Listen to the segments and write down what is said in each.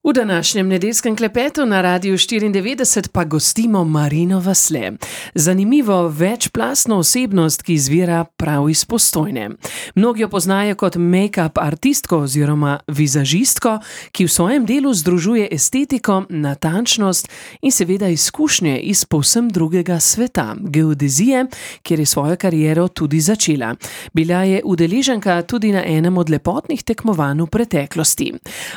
V današnjem nedeljskem klepetu na Radiu 94 pa gostimo Marino Vasle. Zanimivo večplastno osebnost, ki izvira prav iz Postojne. Mnogi jo poznajo kot make-up artistko oziroma vizažistko, ki v svojem delu združuje estetiko, natančnost in seveda izkušnje iz povsem drugega sveta, geodezije, kjer je svojo kariero tudi začela. Bila je udeleženka tudi na enem od lepotnih tekmovanj v preteklosti.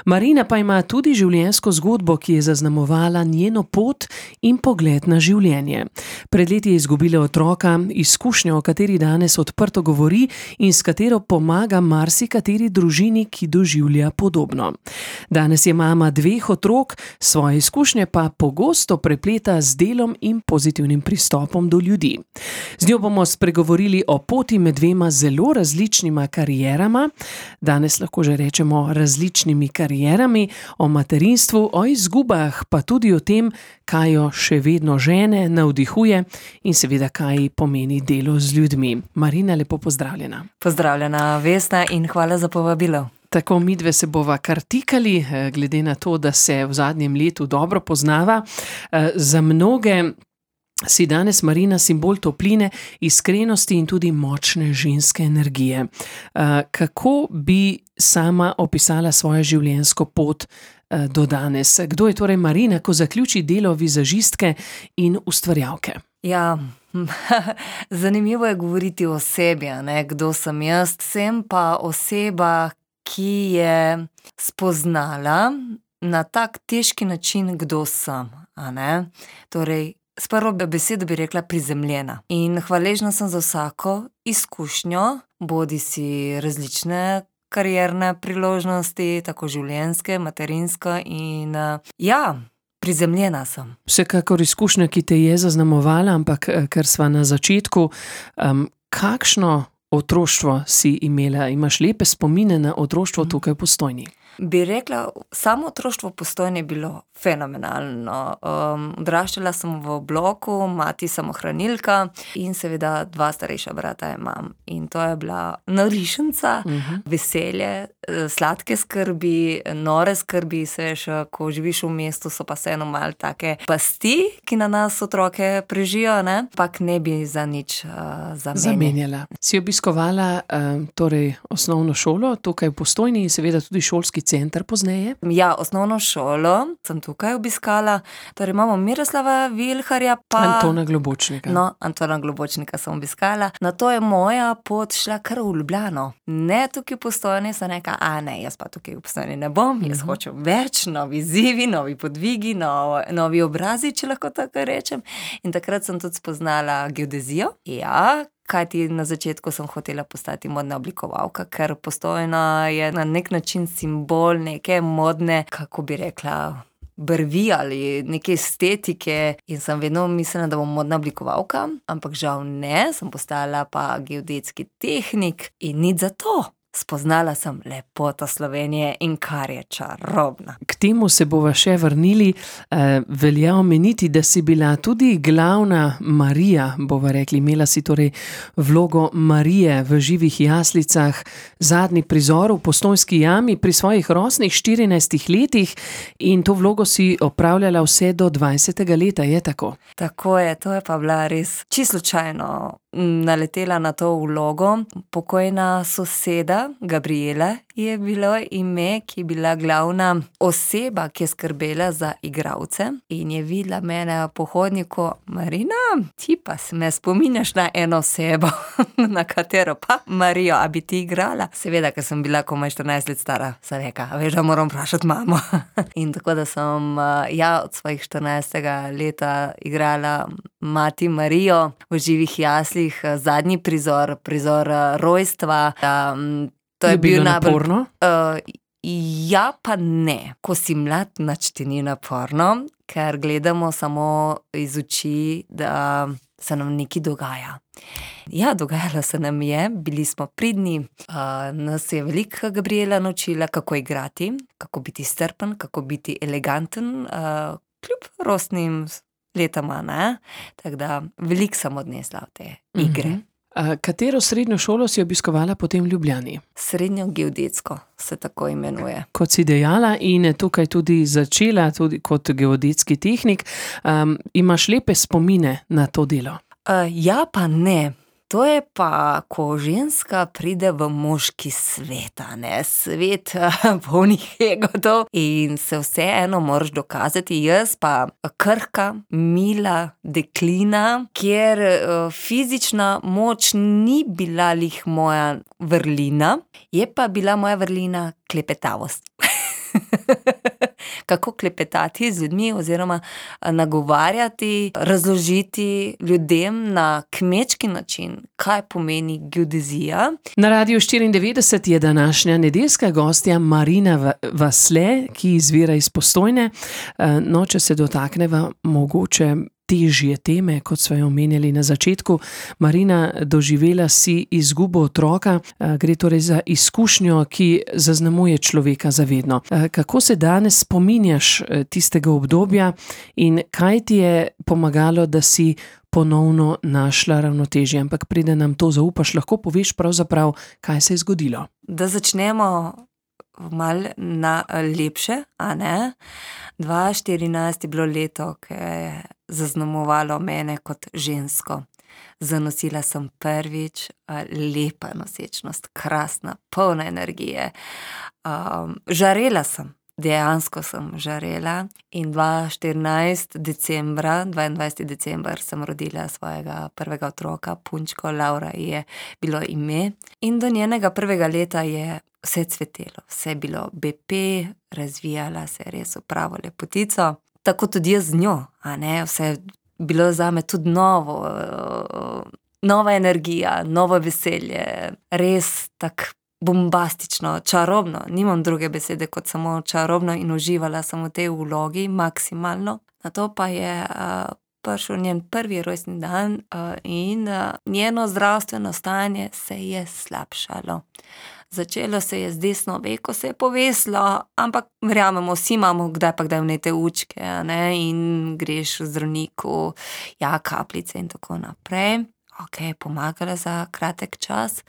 Marina pa ima tudi življenjsko zgodbo, ki je zaznamovala njeno pot in pogled na življenje. Pred leti je izgubila otroka, izkušnjo, o kateri danes odprto govori in s katero pomaga marsikateri družini, ki doživlja podobno. Danes je mama 2 otrok, svoje izkušnje pa pogosto prepleta z delom in pozitivnim pristopom do ljudi. Z njo bomo spregovorili o poti med 2 zelo različnima karierama, danes lahko že rečemo različnimi karierami, o materinstvu, o izgubah, pa tudi o tem, kaj jo še vedno žene, navdihuje in seveda kaj pomeni delo z ljudmi. Marina, lepo pozdravljena. Pozdravljena, Vesna, in hvala za povabilo. Tako midve se bova kar tikali, glede na to, da se v zadnjem letu dobro poznava. Za mnoge si danes Marina simbol topline, iskrenosti in tudi močne ženske energije. Kako bi sama opisala svojo življenjsko pot do danes? Kdo je torej Marina, ko zaključi delo vizažistke in ustvarjalke? Ja, zanimivo je govoriti o sebi, ne? Kdo sem jaz. Sem pa oseba, ki je spoznala na tak težki način, kdo sem, a ne? Torej, s prvo besedo bi rekla prizemljena. In hvaležna sem za vsako izkušnjo, bodisi različne karierne priložnosti, tako življenjske, materinska in prizemljena sem. Vsekakor izkušnja, ki te je zaznamovala, ampak ker sva na začetku, kakšno otroštvo si imela? Imaš lepe spomine na otroštvo tukaj v Postojni? Bi rekla, samo otroštvo v Postojni je bilo fenomenalno. Odraščala sem v bloku, mati samohranilka in seveda 2 starejša brata imam. In to je bila navdišenca, veselje, sladke skrbi, nore skrbi, ko živiš v mestu, so pa vseeno malo take pasti, ki na nas otroke prežijo, ne? Pak ne bi za nič zamenjala. Si obiskovala torej osnovno šolo tukaj v Postojni in seveda tudi šolski center pozneje? Ja, osnovno šolo sem tukaj obiskala, torej imamo Miroslava Vilharja pa Antona Globočnika. No, Antona Globočnika sem obiskala. Nato je moja pot šla kar v Ljubljano. Ne tukaj v Postojni, sem rekla, jaz pa tukaj v Postojni ne bom, jaz hočem več, novi izzivi, novi podvigi, novi obrazi, če lahko tako rečem. In takrat sem tudi spoznala geodezijo. Ja, kajti na začetku sem hotela postati modna oblikovalka, ker Postojna je na nek način simbol neke modne, kako bi rekla, brvi ali neke estetike, in sem vedno mislila, da bom modna oblikovalka, ampak žal ne, sem postala pa geodetski tehnik in nič za to. Spoznala sem lepoto Slovenije in kar je čarobna. K temu se bova še vrnili. Velja omeniti, da si bila tudi glavna Marija, bova rekli, imela si torej vlogo Marije v Živih jaslicah, zadnji prizor v Postojnski jami pri svojih rosnih 14 letih in to vlogo si opravljala vse do 20. leta, je tako? Tako je, to je pa bila res čisto slučajno naletela na to vlogo. Pokojna soseda Gabriela je bilo ime, ki je bila glavna oseba, ki je skrbela za igralce in je videla mene po hodniku. Marina, ti pa me spominjaš na eno osebo, na katero pa? Marijo, a bi ti igrala? Seveda, ker sem bila komaj 14 let stara, sem rekla, veš, da moram vprašati mamo. In tako da sem od svojih 14. leta igrala mati Marijo v Živih jaslih, zadnji prizor rojstva. To je bilo naporno? Ja, pa ne. Ko si mlad, nič ti ni naporno, ker gledamo samo iz oči, da se nam nekaj dogaja. Ja, dogajalo se nam je, bili smo pridni, nas je veliko Gabriela naučila, kako igrati, kako biti strpen, kako biti eleganten, kljub rosnim letama, ne? Tako da veliko sem odnesla v te igre. Katero srednjo šolo si obiskovala potem v Ljubljani? Srednjo geodetsko se tako imenuje. Kot si dejala in tukaj tudi začela tudi kot geodetski tehnik, imaš lepe spomine na to delo? Ja pa ne. To je pa, ko ženska pride v moški svet, a ne, svet polnih egotov in se vseeno moraš dokazati. Jaz pa krhka, mila deklina, kjer fizična moč ni bila lih moja vrlina, je pa bila moja vrlina klepetavost. Kako klepetati z ljudmi oziroma nagovarjati, razložiti ljudem na kmečki način, kaj pomeni geodezija. Na Radiu 94 je današnja nedeljska gostja Marina Vasle, ki izvira iz Postojne. No, če se dotakneva mogoče težje teme, kot sva jo omenjali na začetku. Marina, doživela si izgubo otroka, gre torej za izkušnjo, ki zaznamuje človeka za vedno. Kako se danes spominjaš tistega obdobja in kaj ti je pomagalo, da si ponovno našla ravnotežje? Ampak preden nam to zaupaš, lahko poveš pravzaprav, kaj se je zgodilo? Da začnemo malo na lepše, a ne? 2014 je bilo leto, ki je zaznamovalo mene kot žensko. Zanosila sem prvič, lepa nosečnost, krasna, polna energije. Žarela sem, dejansko sem žarela in 2014 decembra, 22. december sem rodila svojega prvega otroka, punčko, Laura je bilo ime. In do njenega prvega leta je vse cvetelo, vse je bilo BP, razvijala se je res v pravo lepotico. Tako tudi jaz z njo, a ne, vse je bilo zame tudi novo, nova energija, novo veselje, res tako bombastično, čarobno, nimam druge besede kot samo čarobno in uživala sem v tej vlogi maksimalno. Nato pa je prišel njen prvi rojstni dan in njeno zdravstveno stanje se je slabšalo. Začelo se je z desno veko, se je povesilo, ampak verjamemo, vsi imamo kdaj pa kdaj vnete učke, ne, in greš v zdravniku, ja, kapljice in tako naprej. Ok, pomagala za kratek čas,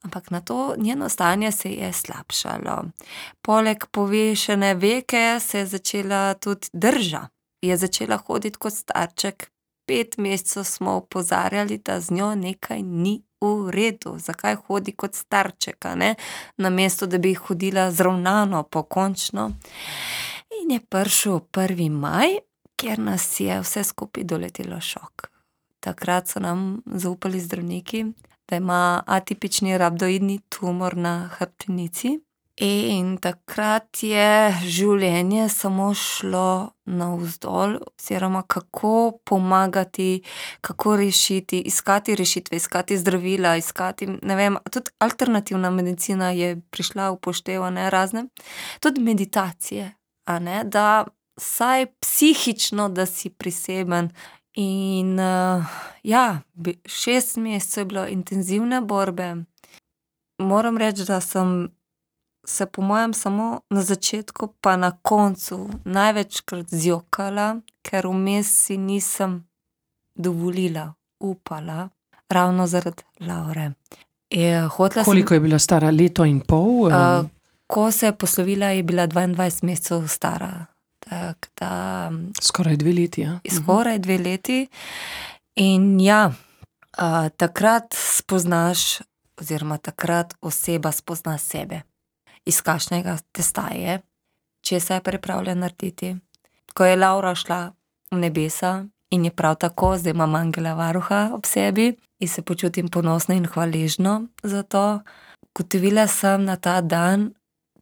ampak nato njeno stanje se je slabšalo. Poleg povešene veke se je začela tudi drža. Je začela hoditi kot starček. 5 mesecev smo opozarjali, da z njo nekaj ni v redu. Zakaj hodi kot starček, a ne? Namesto, da bi hodila zravnano, pokončno. In je prišel 1. maj, kjer nas je vse skupaj doletelo šok. Takrat so nam zaupali zdravniki, da ima atipični rabdoidni tumor na hrbtenici. In takrat je življenje samo šlo navzdol, oziroma kako pomagati, kako rešiti, iskati rešitve, iskati zdravila, iskati, ne vem, tudi alternativna medicina je prišla v poštev, ne, razne. Tudi meditacije, a ne, da vsaj psihično, da si priseben. In ja, 6 mesecev je bilo intenzivne borbe. Moram reči, da sem se po mojem samo na začetku pa na koncu največkrat zjokala, ker vmes si nisem dovolila, upala, ravno zaradi Laure. Koliko je bila stara? 1,5 leta? Ko se je poslovila, je bila 22 mesecev stara. Skoraj 2 leti, ja? Skoraj 2 leti. In ja, takrat spoznaš, oziroma takrat oseba spozna sebe. Iz kakšnega testa je, česa je pripravljen narediti. Ko je Laura šla v nebesa in je prav tako, zdaj imam angela varuha ob sebi in se počutim ponosno in hvaležno za to. Ugotovila sem na ta dan,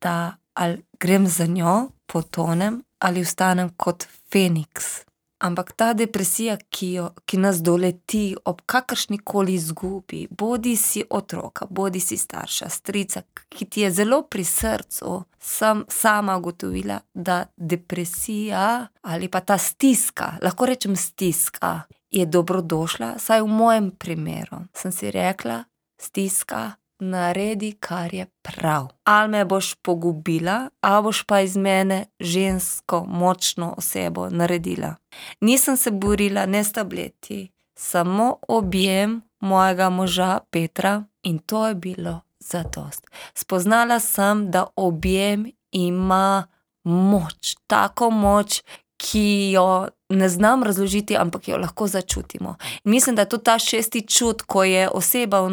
da ali grem za njo, potonem, ali ostanem kot Feniks. Ampak ta depresija, ki nas doleti ob kakršnikoli izgubi, bodi si otroka, bodi si starša, strica, ki ti je zelo pri srcu, sem sama ugotovila, da depresija ali pa ta stiska, lahko rečem stiska, je dobrodošla, saj v mojem primeru sem si rekla, stiska, naredi, kar je prav. Ali me boš pogubila, ali boš pa iz mene žensko, močno osebo naredila. Nisem se borila ne s tableti, samo objem, mojega moža Petra in to je bilo zadost. Spoznala sem, da objem ima moč, tako moč, ki jo ne znam razložiti, ampak jo lahko začutimo. In mislim, da je to ta 6. čut, ko je oseba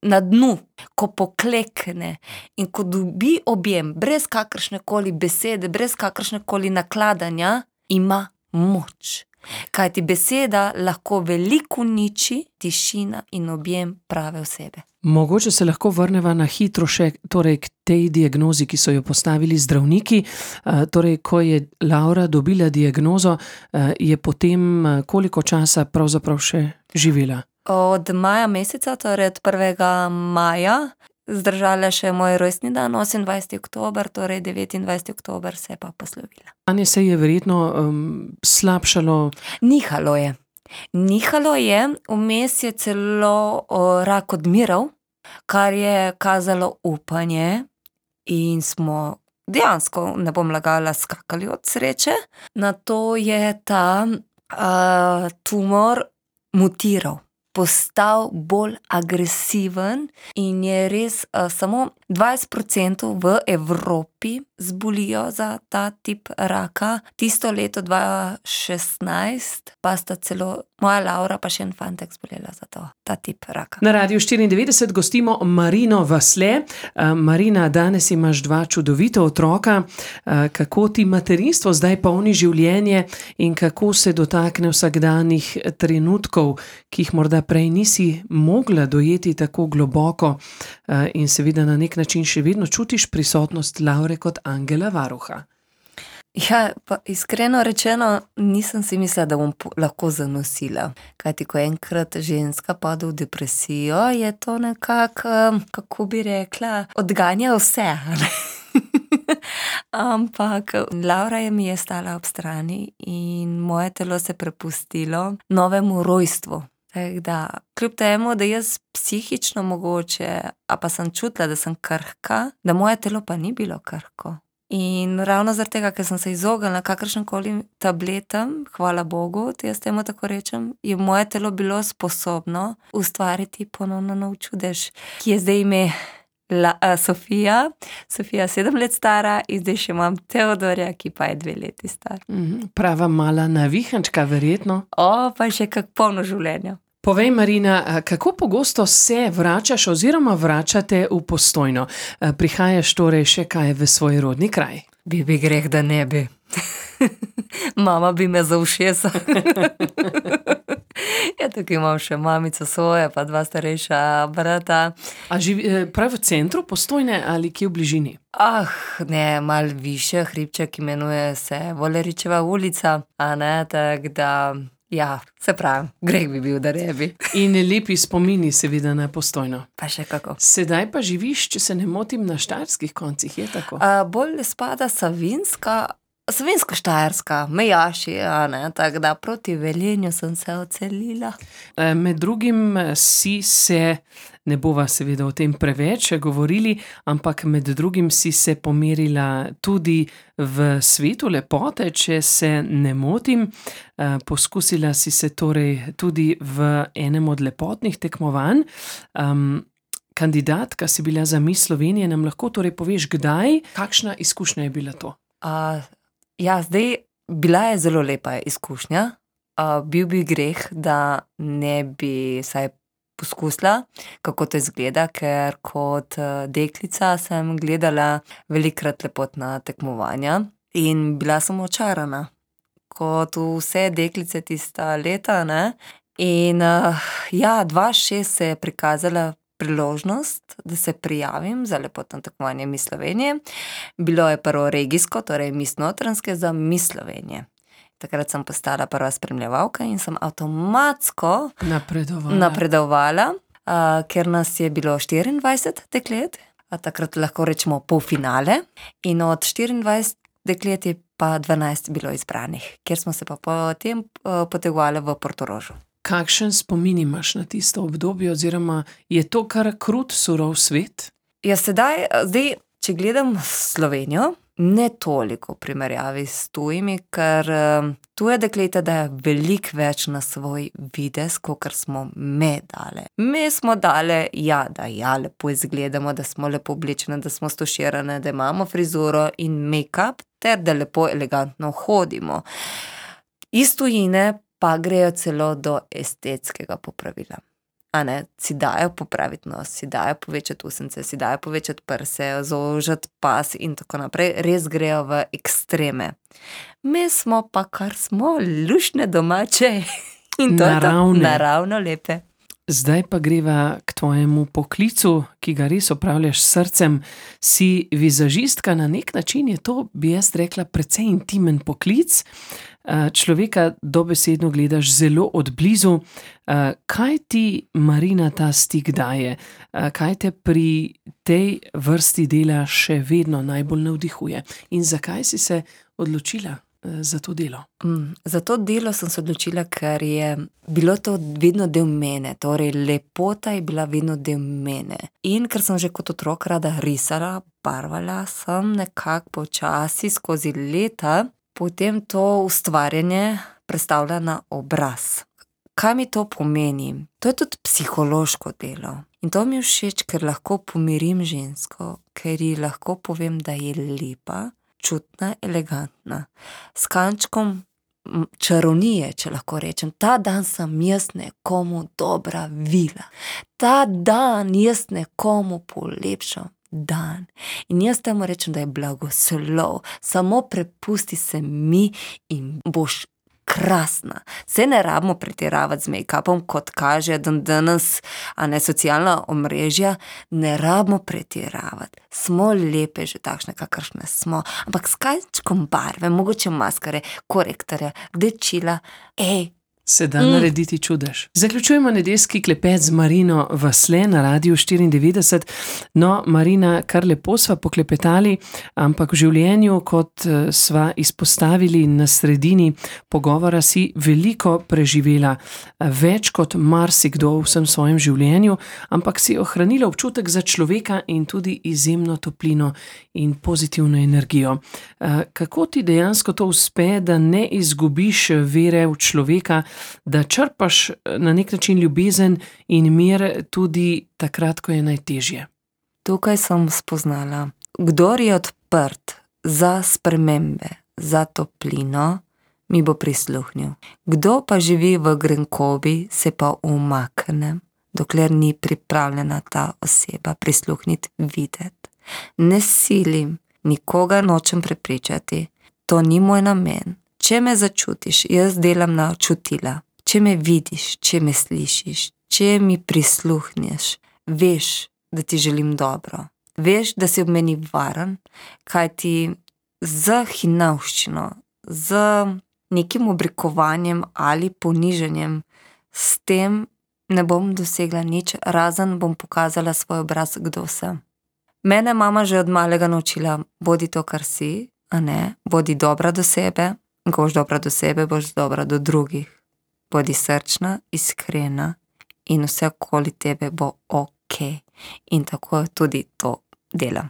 na dnu, ko poklekne in ko dobi objem, brez kakršnekoli besede, brez kakršnekoli nakladanja, ima moč. Kajti beseda lahko veliko uniči, tišina in objem prave osebe. Mogoče se lahko vrneva na hitro še k tej diagnozi, ki so jo postavili zdravniki. Torej, ko je Laura dobila diagnozo, je potem koliko časa pravzaprav še živela? Od maja meseca, torej od 1. maja, zdržala še moj rojstni dan, 28. oktober, torej 29. oktober se je pa poslovila. Stanje se je verjetno slabšalo? Nihalo je, vmes je celo rak odmiral, kar je kazalo upanje in smo dejansko, ne bom lagala, skakali od sreče. Nato je ta tumor mutiral, postal bolj agresiven in je res samo 20% v Evropi zbolijo za ta tip raka. Tisto leto 2016 pa sta celo moja Laura pa še en fantek zbolela za ta tip raka. Na Radiu 94 gostimo Marino Vasle. Marina, danes imaš 2 čudovita otroka. Kako ti materinstvo zdaj polni življenje in kako se dotakne vsakdanjih trenutkov, ki jih morda prej nisi mogla dojeti tako globoko in seveda na nek način še vedno čutiš prisotnost Laure kot angela varuha? Ja, pa iskreno rečeno, nisem si mislila, da bom lahko zanosila. Kajti, ko enkrat ženska pade v depresijo, je to nekako, kako bi rekla, odganja vse. Ampak Laura mi je stala ob strani in moje telo se prepustilo novemu rojstvu. Tako da, kljub temu, da jaz psihično mogoče, a pa sem čutila, da sem krhka, da moje telo pa ni bilo krhko. In ravno zaradi tega, ker sem se izognila kakršnemkoli tabletam, hvala Bogu, jaz temu tako rečem, je moje telo bilo sposobno ustvariti ponovno nov čudež, ki je zdaj ime Sofija. Sofija 7 let stara in zdaj še imam Teodorja, ki pa je 2 leti star. Prava mala navihančka, verjetno. Pa še kak polno življenja. Povej, Marina, kako pogosto se vračaš oziroma vračate v Postojno? Prihajaš torej še kaj v svoj rodni kraj? Bi greh, da ne bi. Mama bi me za ušesa. Ja, tukaj imam še mamico svoje, pa 2 starejša brata. A živi prav v centru Postojne ali kje v bližini? Ne, malo više, hribček imenuje se Voleričeva ulica, a ne, tako da, ja, se pravi, greh bi bil, da ne bi. In lepi spomini seveda na Postojno. Pa še kako. Sedaj pa živiš, če se ne motim, na štajerskih koncih, je tako? Bolj spada Savinjsko-Štajerska, mejaši, a ne, tako da proti Velenju sem se odselila. Med drugim si se, ne bova seveda o tem preveč govorili, ampak med drugim si se pomerila tudi v svetu lepote, če se ne motim. Poskusila si se torej tudi v enem od lepotnih tekmovanj. Kandidatka si bila za Miss Slovenije, nam lahko torej poveš, kdaj, kakšna izkušnja je bila to? Ja, zdaj, bila je zelo lepa izkušnja. Bil bi greh, da ne bi saj poskusila, kako to izgleda, ker kot deklica sem gledala velikokrat lepotna tekmovanja in bila sem očarana. Kot vse deklice tista leta, ne. In ja, 2006 se je prikazala priložnost, da se prijavim za lepotno tekmovanje Miss Slovenije. Bilo je prvo regijsko, torej Miss Notranjske za Miss Slovenije. Takrat sem postala prva spremljevalka in sem avtomatsko napredovala, ker nas je bilo 24 deklet, takrat lahko rečemo polfinale, in od 24 deklet je pa 12 bilo izbranih, kjer smo se pa potem potegovali v Portorožu. Kakšen spomin imaš na tisto obdobje, oziroma je to kar krut, surov svet? Ja, zdaj, če gledam Slovenijo, ne toliko v primerjavi s tujimi, ker tuje dekleta dajo veliko več na svoj videz, kakor smo me dale. Me smo dale, da lepo izgledamo, da smo lepo oblečene, da smo stoširane, da imamo frizuro in make-up, ter da lepo elegantno hodimo. Iz tujine pa grejo celo do estetskega popravila. Si dajo popraviti nos, si dajo povečati usence, si dajo povečati prse, zožati pas in tako naprej. Res grejo v ekstreme. Mi smo pa, kar smo, luštne domače in to je to, naravno lepe. Zdaj pa greva k tvojemu poklicu, ki ga res opravljaš s srcem. Si vizažistka, na nek način je to, bi jaz rekla, precej intimen poklic. Človeka dobesedno gledaš zelo od blizu. Kaj ti, Marina, ta stik daje? Kaj te pri tej vrsti dela še vedno najbolj navdihuje? In zakaj si se odločila za to delo? Za to delo sem se odločila, ker je bilo to vedno del mene, torej lepota je bila vedno del mene. In ker sem že kot otrok rada risala, barvala, sem nekako počasi skozi leta potem to ustvarjanje prestavila na obraz. Kaj mi to pomeni? To je tudi psihološko delo. In to mi je všeč, ker lahko pomirim žensko, ker ji lahko povem, da je lepa, čutna, elegantna. S kančkom čarovnije, če lahko rečem. Ta dan sem jaz nekomu dobra vila. Ta dan jaz nekomu polepšam dan. In jaz temu rečem, da je blagoslov. Samo prepusti se mi in boš krasna. Se ne rabimo pretiravati z make-upom, kot kaže danes, socialna omrežja, ne rabimo pretiravati. Smo lepe že takšne, kakršne smo, ampak s kančkom barve, mogoče maskare, korektorja, rdečila, se da narediti čudež. Zaključujemo nedeljski klepet z Marino Vasle na Radiu 94. No, Marina, kar lepo sva poklepetali, ampak v življenju, kot sva izpostavili na sredini pogovora, si veliko preživela, več kot marsikdo v vsem svojem življenju, ampak si ohranila občutek za človeka in tudi izjemno toplino in pozitivno energijo. Kako ti dejansko to uspe, da ne izgubiš vere v človeka, da črpaš na nek način ljubezen in mir tudi takrat, ko je najtežje? Tukaj sem spoznala, kdor je odprt za spremembe, za toplino, mi bo prisluhnil. Kdo pa živi v grenkobi, se pa umakne, dokler ni pripravljena ta oseba prisluhniti, videti. Ne silim, nikogar nočem prepričati, to ni moj namen. Če me začutiš, jaz delam na čutila. Če me vidiš, če me slišiš, če mi prisluhneš, veš, da ti želim dobro. Veš, da si ob meni varen, kajti z hinavščino, z nekim oblikovanjem ali ponižanjem, s tem ne bom dosegla nič, razen bom pokazala svoj obraz, kdo sem. Mene mama že od malega naučila, bodi to, kar si, bodi dobra do sebe. Ko boš dobra do sebe, boš dobra do drugih. Bodi srčna, iskrena in vse okoli tebe bo okej. In tako tudi to delam.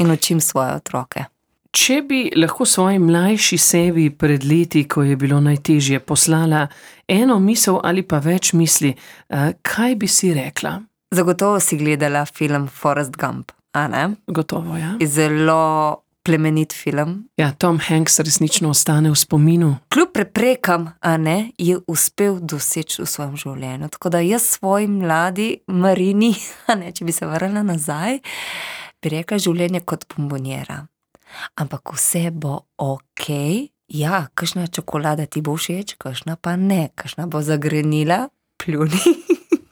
In učim svoje otroke. Če bi lahko svoji mlajši sebi pred leti, ko je bilo najtežje, poslala eno misel ali pa več misli, kaj bi si rekla? Zagotovo si gledala film Forrest Gump, Gotovo, ja. Zelo plemenit film. Ja, Tom Hanks resnično ostane v spominu. Kljub preprekam, je uspel doseči v svojem življenju. Tako da jaz svoji mladi Marini, če bi se vrnila nazaj, bi rekla življenje kot bombonjera. Ampak vse bo okej. Ja, kakšna čokolada ti bo všeč, kakšna pa ne. Kakšna bo zagrenila, pljuni,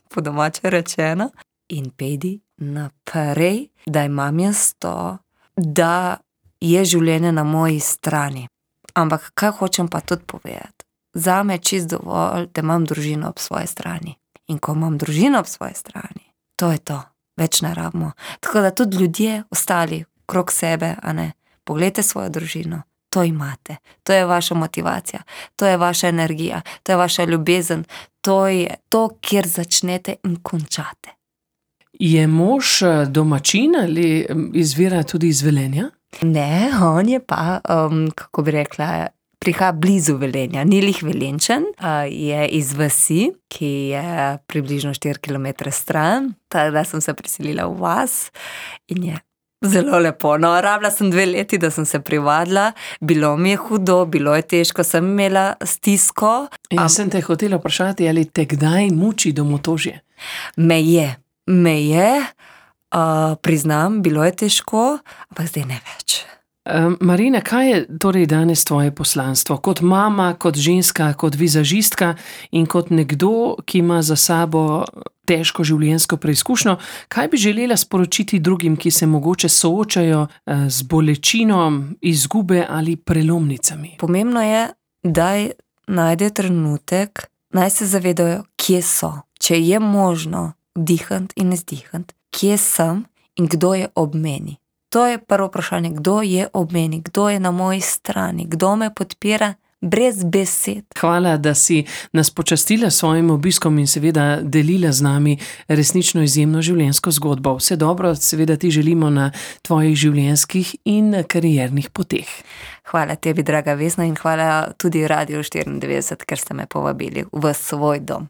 po domače rečeno. In pejdi naprej, da imam jaz to, da je življenje na moji strani. Ampak kaj hočem pa tudi povedati? Zame je čist dovolj, da imam družino ob svoji strani. In ko imam družino ob svoji strani, to je to. Več ne rabimo. Tako da tudi ljudje ostali krog sebe, poglejte svojo družino. To imate. To je vaša motivacija. To je vaša energija. To je vaša ljubezen. To je to, kjer začnete in končate. Je mož domačin ali izvira tudi iz Velenja? Ne, on je pa, kako bi rekla, prihaja blizu Velenja, ni lih Velenjčan, je iz vasi, ki je približno 4 km stran, tako da sem se preselila v vas in je zelo lepo. No, rabila sem 2 leti, da sem se privadila, bilo mi je hudo, bilo je težko, sem imela stisko. Jaz sem te hotela vprašati, ali te kdaj muči domotožje? Me je, priznam, bilo je težko, ampak zdaj ne več. Marina, kaj je torej danes tvoje poslanstvo? Kot mama, kot ženska, kot vizažistka in kot nekdo, ki ima za sabo težko življenjsko preizkušnjo, kaj bi želela sporočiti drugim, ki se mogoče soočajo z bolečino, izgube ali prelomnicami? Pomembno je, da najde trenutek, naj se zavedajo, kje so. Če je možno vdihati in izdihati, kje sem in kdo je ob meni. To je prvo vprašanje, kdo je ob meni, kdo je na moji strani, kdo me podpira brez besed. Hvala, da si nas počastila s svojim obiskom in seveda delila z nami resnično izjemno življenjsko zgodbo. Vse dobro, seveda ti želimo na tvojih življenjskih in kariernih poteh. Hvala tebi, draga Vesna, in hvala tudi Radiu 94, ker ste me povabili v svoj dom.